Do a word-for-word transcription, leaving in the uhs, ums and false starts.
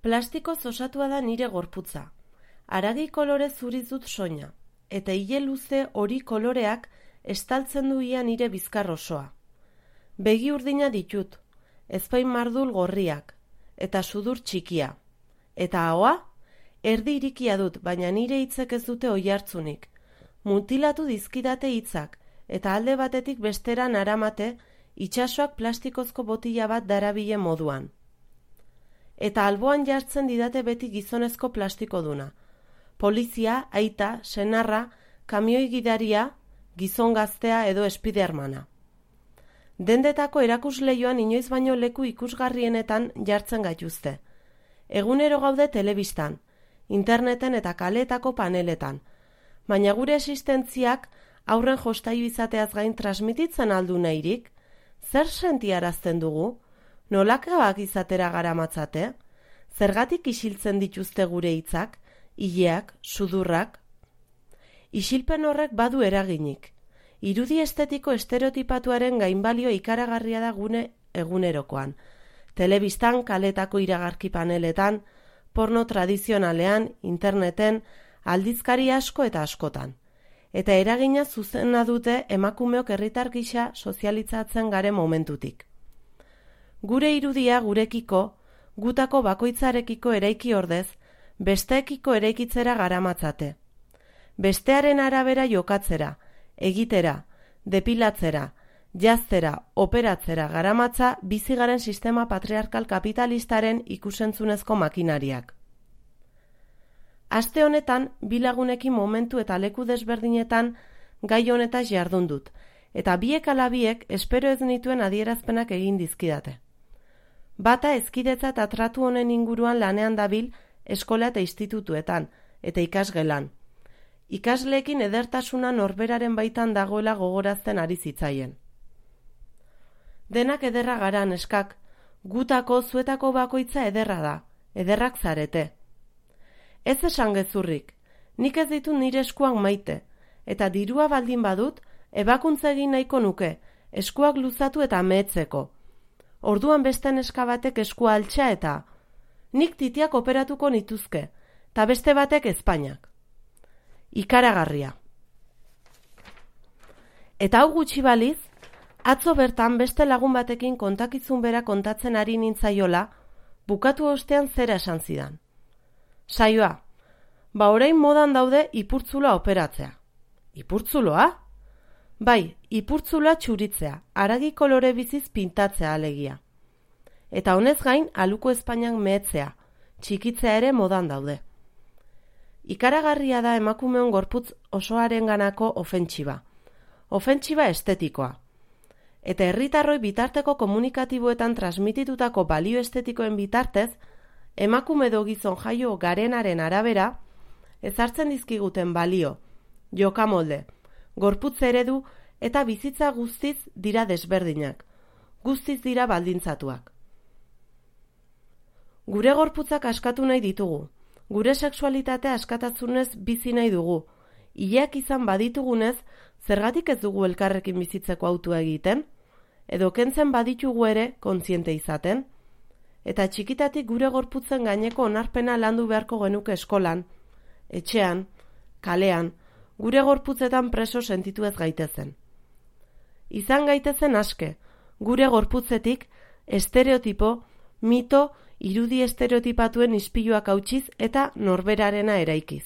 Plastikoz osatua da nire gorputza. Haragi kolore zuriz dut soina, eta ile luze hori koloreak estaltzen du ia nire bizkar osoa. Begi urdina ditut, ezpain mardul gorriak, eta sudur txikia. Eta ahoa, erdi irikia dut, baina nire hitzek ez dute oihartzunik. Mutilatu dizkidate hitzak, eta alde batetik bestera naramate, itsasoak plastikozko botila bat darabile moduan. Eta alboan jartzen didate beti gizonezko plastikoduna. Polizia, aita, senarra, kamioi gidaria, gizon gaztea edo espidermana. Dendetako erakusleioan inoiz baino leku ikusgarrienetan jartzen gaituzte. Egunero gaude telebistan, interneten eta kaleetako paneletan, baina gure existentziak aurren jostailu izateaz gain transmititzen aldu nahirik, zer sentiarazten dugu? Nolakabak izatera garamatzate? Zergatik isiltzen dituzte gure hitzak, ileak, sudurrak? Isilpen horrek badu eraginik. Irudi estetiko estereotipatuaren gainbalio ikaragarria da gune egunerokoan. Telebistan, kaletako iragarki paneletan, porno tradizionalean, interneten, aldizkari asko eta askotan. Eta eragina zuzena dute emakumeok herritar gisa sozializatzen garen momentutik. Gure irudia gurekiko, gutako bakoitzarekiko eraiki ordez, besteekiko eraikitzera garamatzate. Bestearen arabera jokatzera, egitera, depilatzera, jaztera, operatzera garamatza bizigaren sistema patriarkal kapitalistaren ikusentzunezko makinariak. Aste honetan, bi lagunekin momentu eta leku desberdinetan gai honetaz jardun dut, eta biek ala biek espero ez nituen adierazpenak egin dizkidate. Bata ezkidetza eta tratu honen inguruan lanean dabil eskola eta institutuetan, eta ikasgelan. Ikasleekin edertasuna norberaren baitan dagoela gogorazten ari zitzaien. Denak ederra gara neskak, gutako zuetako bakoitza ederra da, ederrak zarete. Ez esan gezurrik, nik ez ditut nire eskuak maite, eta dirua baldin badut, ebakuntza egin nahiko nuke, eskuak luzatu eta mehetzeko. Orduan beste neska batek eskua altxa eta nik titiak operatuko nituzke, eta beste batek Espainiak. Ikaragarria. Eta hau gutxi baliz, atzo bertan beste lagun batekin kontakizun bera kontatzen ari nintzaiola, bukatu ostean zera esan zidan. Saioa, ba orain modan daude ipurtzula operatzea. Ipurtzuloa? Bai, ipurtzula txuritzea, haragi kolore biziz pintatzea alegia. Eta honez gain, aluko Espainiak mehetzea, txikitzea ere modan daude. Ikaragarria da emakumeon gorputz osoarenganako ofentsiba. Ofentsiba estetikoa. Eta herritarroi bitarteko komunikatiboetan transmititutako balio estetikoen bitartez, emakume edo gizon jaio garenaren arabera, ezartzen dizkiguten balio, jokamolde, gorputz eredu eta bizitza guztiz dira desberdinak, guztiz dira baldintzatuak. Gure gorputzak askatu nahi ditugu, gure sexualitatea askatasunez bizi nahi dugu, ileak izan baditugunez, zergatik ez dugu elkarrekin bizitzeko autua egiten, edo kentzen baditugu ere kontziente izaten, eta txikitatik gure gorputzen gaineko onarpena landu beharko genuke eskolan, etxean, kalean, gure gorputzetan preso sentitu ez gaitezen. Izan gaitezen aske, gure gorputzetik estereotipo, mito, irudi estereotipatuen ispiluak hautsiz eta norberarena eraikiz.